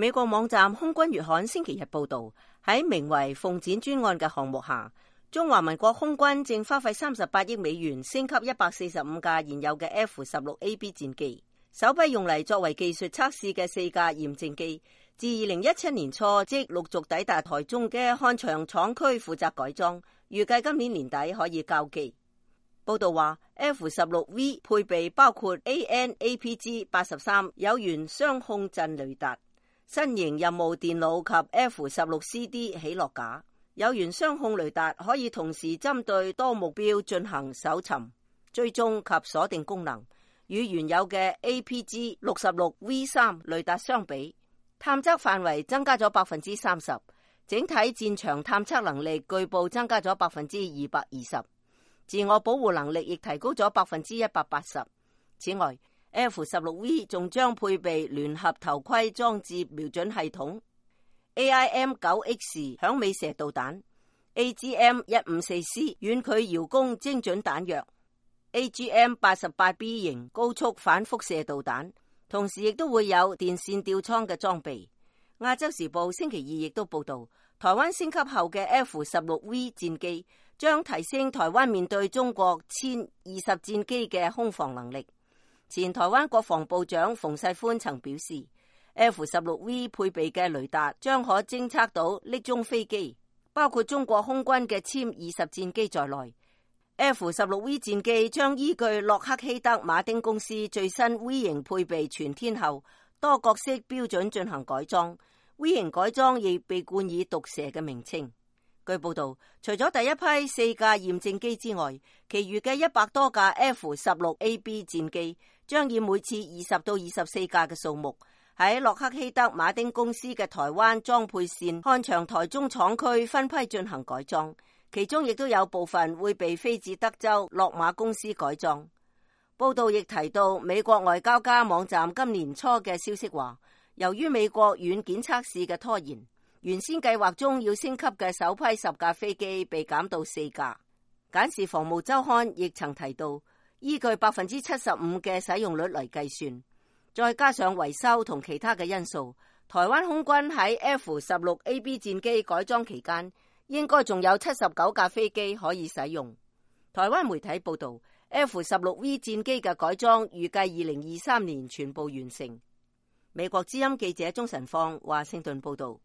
美國網站空軍月刊星期日報道，喺名為鳳展專案嘅項目下，中華民國空軍正花費38億美元升級145架現有嘅 F-16AB 戰機，首批用嚟作為技術測試嘅4架驗證機，自2017年初即陸續抵達台中嘅漢翔廠區負責改裝，預計今年年底可以交機。報道話 F-16V 配備包括 AN/APG-83 有源雙控陣雷達、新型任務電腦及 F-16CD 起落架。有源雙控雷達可以同時針對多目標進行搜尋、追蹤及鎖定功能，與原有嘅 APG-66V3 雷達相比，探測範圍增加咗30%，整體戰場探測能力據報增加咗220%，自我保護能力亦提高咗180%。此外，F-16V 仲將配備聯合頭盔裝置瞄準系統、AIM-9X 響尾蛇導彈、AGM-154C 遠距遙攻精準彈藥、AGM-88B 型高速反輻射導彈，同時亦都會有電線吊艙嘅裝備。亞洲時報星期二亦都報道，台灣升級後嘅 F-16V 戰機將提升台灣面對中國殲20戰機嘅空防能力。前台灣國防部長馮世寬曾表示， F-16V 配備嘅雷達將可偵測到匿蹤飛機，包括中國空軍嘅殲20戰機在內。F-16V 戰機將依據洛克希德馬丁公司最新 V 型配備全天候多角色標準進行改裝， V 型改裝亦被冠以毒蛇嘅名稱。據報道，除咗第一批4架驗證機之外，其餘嘅100多架 F-16AB 戰機將以每次20到24架嘅數目，喺洛克希德馬丁公司嘅台灣裝配線漢翔台中廠區分批進行改裝，其中亦都有部分會被飛至德州洛馬公司改裝。報道亦提到，美國外交家網站今年初嘅消息話，由於美國軟件測試嘅拖延，原先計劃中要升級嘅首批10架飛機被減到4架。簡氏防務週刊亦曾提到，依據75%嘅使用率嚟計算，再加上維修同其他嘅因素，台灣空軍喺 F-16AB 戰機改裝期間，應該仲有79架飛機可以使用。台灣媒體報道， F-16V 戰機嘅改裝預計2023年全部完成。美國之音記者鍾晨放華盛頓報道。